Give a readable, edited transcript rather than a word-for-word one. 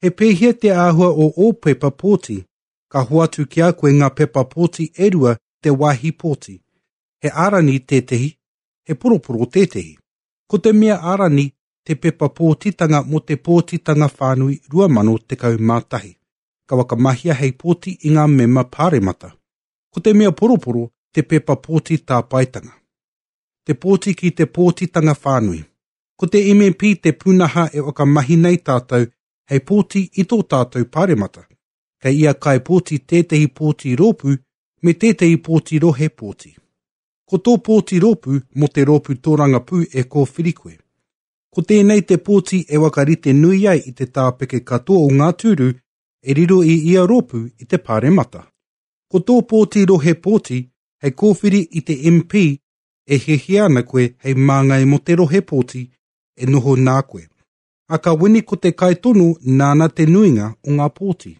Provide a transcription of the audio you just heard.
He pēhea te āhua o ō pepa pōti? Ka hoatu ki a koe ngā pepa pōti e rua te wāhi pōti. He ārani tētehi, he poroporo tētehi. Ko te mea ārani te pepa pōtitanga mō te Pōtitanga Whānui 2011. Ka whakamahia hei pōti i ngā mema pāremata. Ko te mea poroporo te pepa pōti tāpaetanga. Te pōti ki te Pōtitanga Whānui. Ko te MMP te pūnaha e whakamahi nei tātou hei pōti i tō tātou pāremata. Kei ia kaipōti tētehi pōti rōpū me tētehi pōti rohe pōti. Ko tō pōti rōpū mō te rōpū tōrangapū e kōwhiri koe. Ko tēnei te pōti e whakarite nui ai i te tāpeke katoa o ngā tūru e riro i ia rōpū i te pāremata. Ko tō pōti rohe pōti hei kōwhiri i te MP e hiahia ana koe hei māngai mō te rohe pōti e noho nā koe. A ka wini ko te kaitono nāna te nuinga o ngā pōti.